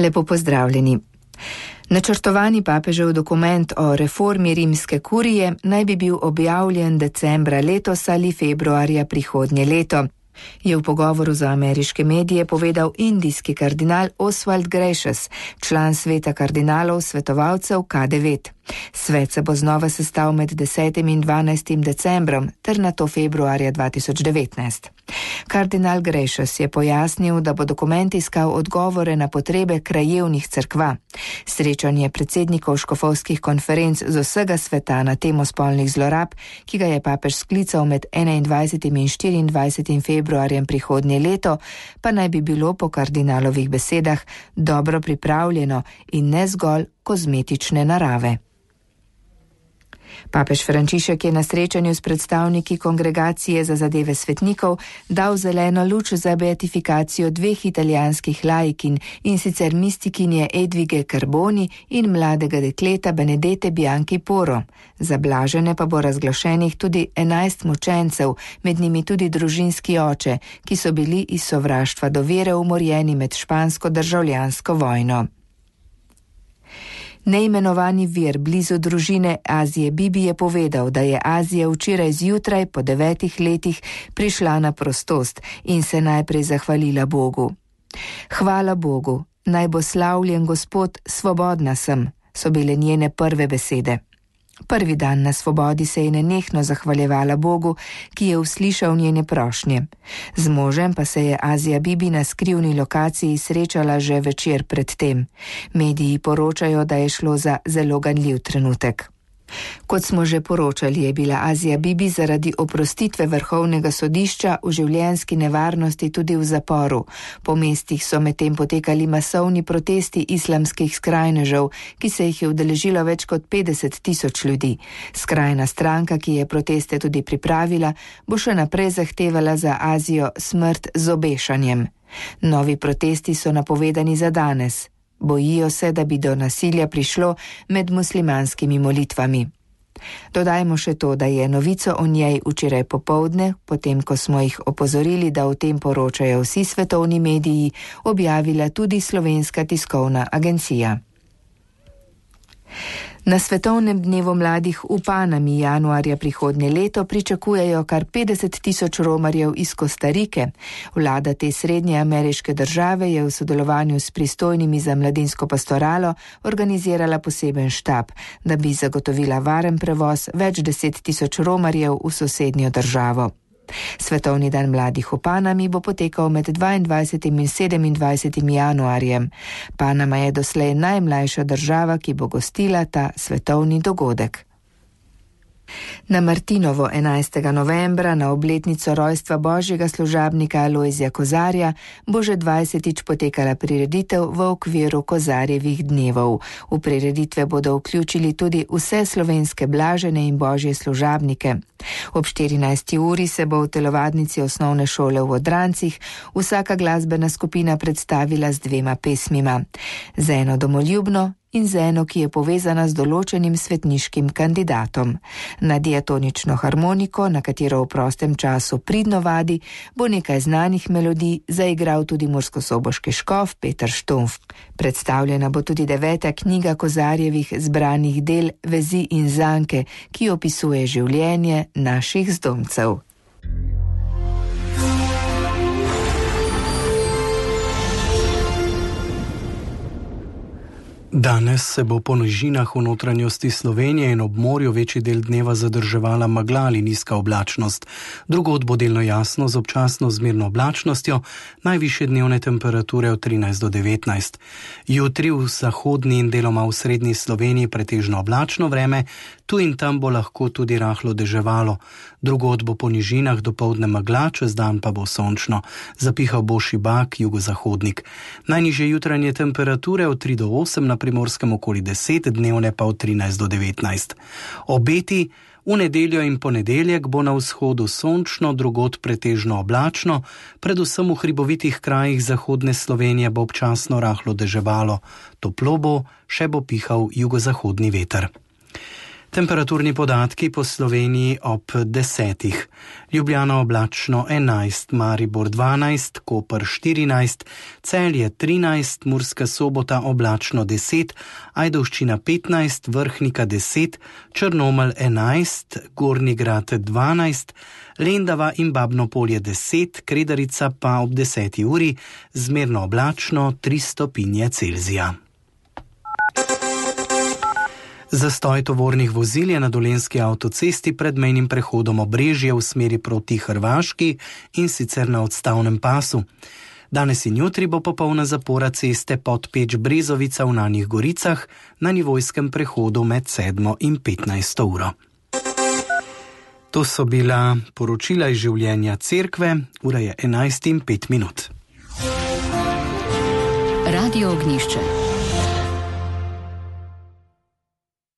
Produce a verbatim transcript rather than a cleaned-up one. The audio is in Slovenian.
Lepo pozdravljeni. Načrtovani papežev dokument o reformi rimske kurije naj bi bil objavljen decembra letos ali februarja prihodnje leto, je v pogovoru za ameriške medije povedal indijski kardinal Oswald Gracious, član sveta kardinalov svetovalcev K devet. Svet se bo znova sestal med desetim in dvanajstim decembrom ter nato februarja dva tisoč devetnajst. Kardinal Gracious je pojasnil, da bo dokument iskal odgovore na potrebe krajevnih cerkva. Srečanje predsednikov škofovskih konferenc z vsega sveta na temo spolnih zlorab, ki ga je papež sklical med enaindvajsetim in štiriindvajsetim februarjem prihodnje leto, pa naj bi bilo po kardinalovih besedah dobro pripravljeno in ne zgolj kozmetične narave. Papež Frančišek je na srečanju s predstavniki Kongregacije za zadeve svetnikov dal zeleno luč za beatifikacijo dveh italijanskih laikinj, in sicer mistikinje Edvige Carboni in mladega dekleta Benedete Bianchi Poro. Za blažene pa bo razglašenih tudi enajst mučencev, med njimi tudi družinski oče, ki so bili iz sovraštva do vere umorjeni med špansko državljansko vojno. Neimenovani vir blizu družine Azije Bibi je povedal, da je Azija včeraj zjutraj po devetih letih prišla na prostost in se najprej zahvalila Bogu. Hvala Bogu, naj bo slavljen Gospod, svobodna sem, so bile njene prve besede. Prvi dan na svobodi se je nenehno zahvaljevala Bogu, ki je uslišal njene prošnje. Z možem pa se je Azija Bibi na skrivni lokaciji srečala že večer pred tem. Mediji poročajo, da je šlo za zelo ganljiv trenutek. Kot smo že poročali, je bila Azija Bibi zaradi oprostitve vrhovnega sodišča v življenjski nevarnosti tudi v zaporu. Po mestih so medtem potekali masovni protesti islamskih skrajnežev, ki se jih je udeležilo več kot petdeset tisoč ljudi. Skrajna stranka, ki je proteste tudi pripravila, bo še naprej zahtevala za Azijo smrt z obešanjem. Novi protesti so napovedani za danes. Bojijo se, da bi do nasilja prišlo med muslimanskimi molitvami. Dodajmo še to, da je novico o njej včeraj popoldne, potem ko smo jih opozorili, da o tem poročajo vsi svetovni mediji, objavila tudi Slovenska tiskovna agencija. Na svetovnem dnevu mladih v Panami januarja prihodnje leto pričakujejo kar petdeset tisoč romarjev iz Kostarike. Vlada te srednje ameriške države je v sodelovanju s pristojnimi za mladinsko pastoralo organizirala poseben štab, da bi zagotovila varen prevoz več deset tisoč romarjev v sosednjo državo. Svetovni dan mladih v Panami bo potekal med dvaindvajsetim in sedemindvajsetim januarjem. Panama je doslej najmlajša država, ki bo gostila ta svetovni dogodek. Na Martinovo enajstega novembra, na obletnico rojstva božjega služabnika Alojzija Kozarja, bo že dvajsetič potekala prireditev v okviru Kozarjevih dnevov. V prireditve bodo vključili tudi vse slovenske blažene in božje služabnike. Ob štirinajsti uri se bo v telovadnici osnovne šole v Odrancih vsaka glasbena skupina predstavila z dvema pesmima. Z eno domoljubno in z eno, ki je povezana z določenim svetniškim kandidatom. Na diatonično harmoniko, na katero v prostem času pridno vadi, bo nekaj znanih melodij zaigral tudi murskosoboški škof Peter Štumf. Predstavljena bo tudi deveta knjiga Kozarjevih zbranih del Vezi in zanke, ki opisuje življenje naših zdomcev. Danes se bo po nižinah v notranjosti Slovenije in ob morju večji del dneva zadrževala megla ali nizka oblačnost. Drugod bo delno jasno z občasno zmerno oblačnostjo, najvišje dnevne temperature od trinajst do devetnajst. Jutri v zahodni in deloma v srednji Sloveniji pretežno oblačno vreme, tu in tam bo lahko tudi rahlo deževalo. Drugod bo po nižinah dopoldne megla, čez dan pa bo sončno. Zapihal bo šibak, jugozahodnik. Najnižje jutranje temperature od tri do osem, na Primorskem okoli deset, dnevne pa od trinajst do devetnajst. Obeti: v nedeljo in ponedeljek bo na vzhodu sončno, drugod pretežno oblačno, predvsem v hribovitih krajih zahodne Slovenije bo občasno rahlo deževalo. Toplo bo, še bo pihal jugozahodni veter. Temperaturni podatki po Sloveniji ob desetih. Ljubljana oblačno enajst, Maribor dvanajst, Koper štirinajst, Celje trinajst, Murska Sobota oblačno deset, Ajdovščina petnajst, Vrhnika deset, Črnomelj enajst, Gornji Grad dvanajst, Lendava in Babno Polje deset, Kredarica pa ob deseti uri, zmerno oblačno tri stopinje Celzija. Zastoj tovornih vozil je na Dolenjski avtocesti pred mejnim prehodom Obrežje v smeri proti Hrvaški in sicer na odstavnem pasu. Danes in jutri bo popolna zapora ceste Podpeč-Brezovica v Nanjih Goricah na nivojskem prehodu med sedmo in petnajsto uro. To so bila poročila iz življenja cerkve, ura je enajst in pet minut. Radio Ognjišče.